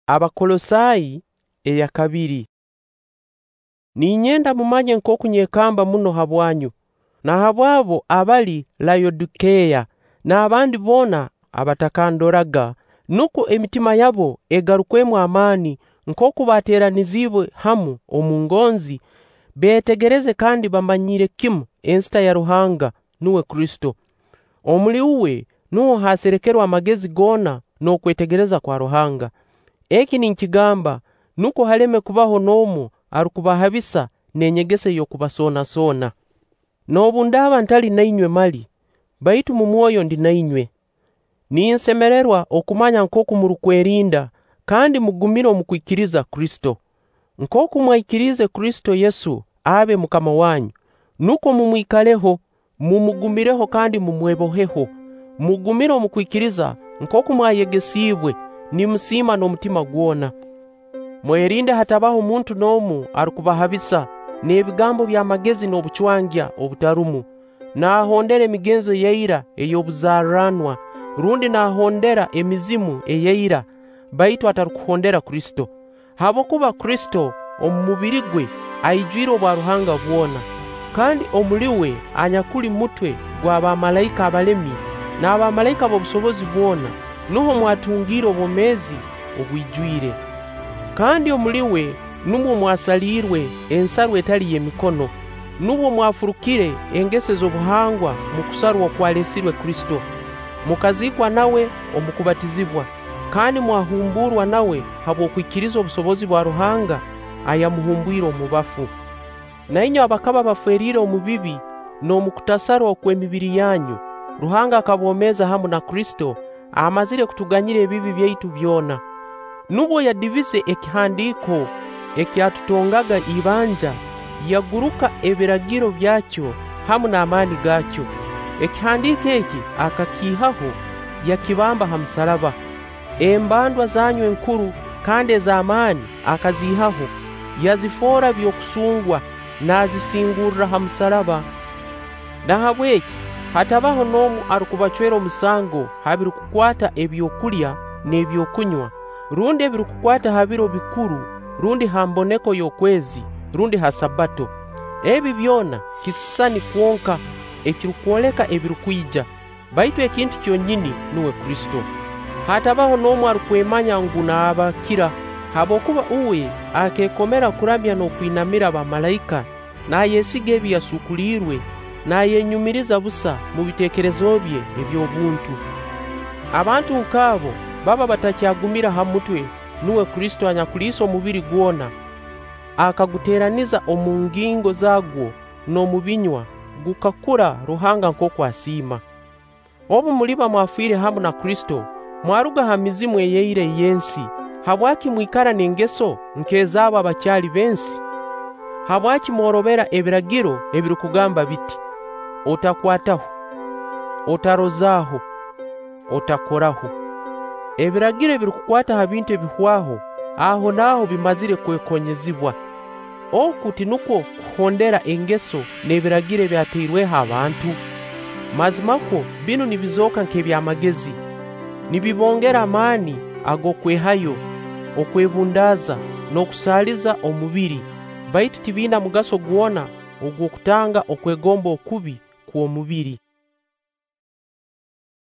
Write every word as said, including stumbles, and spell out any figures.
Abakolosai eya kabiri. Ninyenda mumanye nk'oku nyekamba muno habwanyu, na habw'abo abali Laodikeya n'abandi boona abatakandoraga, nukwo emitima yabo egarukwemu amaani nkooku baateeraniziibwe hamu omu ngonzi, beetegereze kandi bamanyire kimu ensita ya Ruhanga, nuwe Kristo. Omuli uwe nuho haserekerwe amagezi goona n'okwetegereza kwa Ruhanga. Eki ninkigamba nukwo haleme kubaho n'omu arukubahabisa n'enyegesa ey'okubasoonasoona. Noobu ndaaba ntali na inywe mali, baitu mu mwoyo ndi na inywe. Ninsemererwa okumanya nkooku murukwerinda kandi mugumire omu kwikiriza Kristo. Nkooku mwaikiriize Kristo Yesu abe MUKAMA wanyu, nukwo mumwikaleho, mumugumireho kandi mumweboheho. Mugumire omu kwikiriza nkooku mwayegesiibwe, nimusiima n'omutima gwona. Mwerinde hatabaho muntu n'omu arukubahabisa n'ebigambo by'amagezi n'obucwangya obutarumu, naahondera emigenzo y'eira ey'obuzaaliranwa, rundi naahondera emizimu ey'eira, baitu atarukuhondera Kristo. Habwokuba Kristo omu mubiri gwe aijwire obwaruhanga bwona, kandi omuli we anyakuli mutwe gw'abamalaika abalemi n'abamalaika b'obusobozi bwona, nuho mwatungiire obwomeezi obwijwire. Kandi omuli we numwo mwasaliirwe ensarwa etali y'emikono, nubwo mwafurukire engeso ez'obuhangwa mu kusarwa okwalesirwe Kristo. Mukaziikwa nawe omu kubatizibwa, kandi mwahumburwa nawe habw'okwikiriza obusobozi bwa Ruhanga ayamuhumbwire omu bafu. Na inywe abakaba baferiire omu bibi n'omu kutasarwa okw'emibiri yanyu, Ruhanga akaboomeza hamu na Kristo, amazire kutuganyira ebibi byaitu byona. Nubwo yadibize ekihandiiko ekyatutongaga ibanja, yaguruka ebiragiro byakyo hamu n'amaani gaakyo. Ekihandiiko eki akakiihaho, yakibamba ha musaraba. Embandwa zanyu enkuru kandi ez'amaani akaziihaho, yazifoora by'okusungwa, naazisingurra ha musaraba. Nahabweki hatabaho n'omu arukubacwera omusango ha birukukwata ebyokulya n'ebyokunywa, rundi ebirukukwata ha biro bikuru, rundi ha mboneko y'okwezi, rundi ha Sabbato. Ebi byona kisisani kwonka ekirukwoleka ebirukwija, baitu ekintu kyonyini nuwe Kristo. Hatabaho n'omu arukwemanya ngu naabakira, habwokuba uwe akeekomera kuramya n'okwinamira abamalaika, naayesiga ebi yasuukuliirwe, naayenyumiriza busa mu biteekerezo bye eby'obuntu. Abantu nk'abo baba batakyagumira ha mutwe, nuwe Kristo anyakuliisa omubiri gwona, akaguteeraniza omu ngingo zaagwo n'omu binywa, gukakura Ruhanga nkooku asiima. Obu muliba mwafiire hamu na Kristo, mwaruga ha mizimu ey'eira ey'ensi, habwaki mwikara n'engeso nk'ez'abo abakyali b'ensi? Habwaki mworobera ebiragiro ebirukugamba biti: "Otakwataho, otarozaaho, otakoraho"? Ebiragiro ebirukukwata ha bintu ebihwaho, aho naaho bimazire kwekonyezibwa. Oku tinukwo kuhondera engeso n'ebiragiro ebyatairweho abantu. Mazimakwo binu nibizooka nk'eby'amagezi, nibibongera amaani ag'okwehayo, okwebundaaza n'okusaaliza omubiri, baitu tibiina mugaso gwona ogw'okutanga okwegomba okubi kw'omubiri.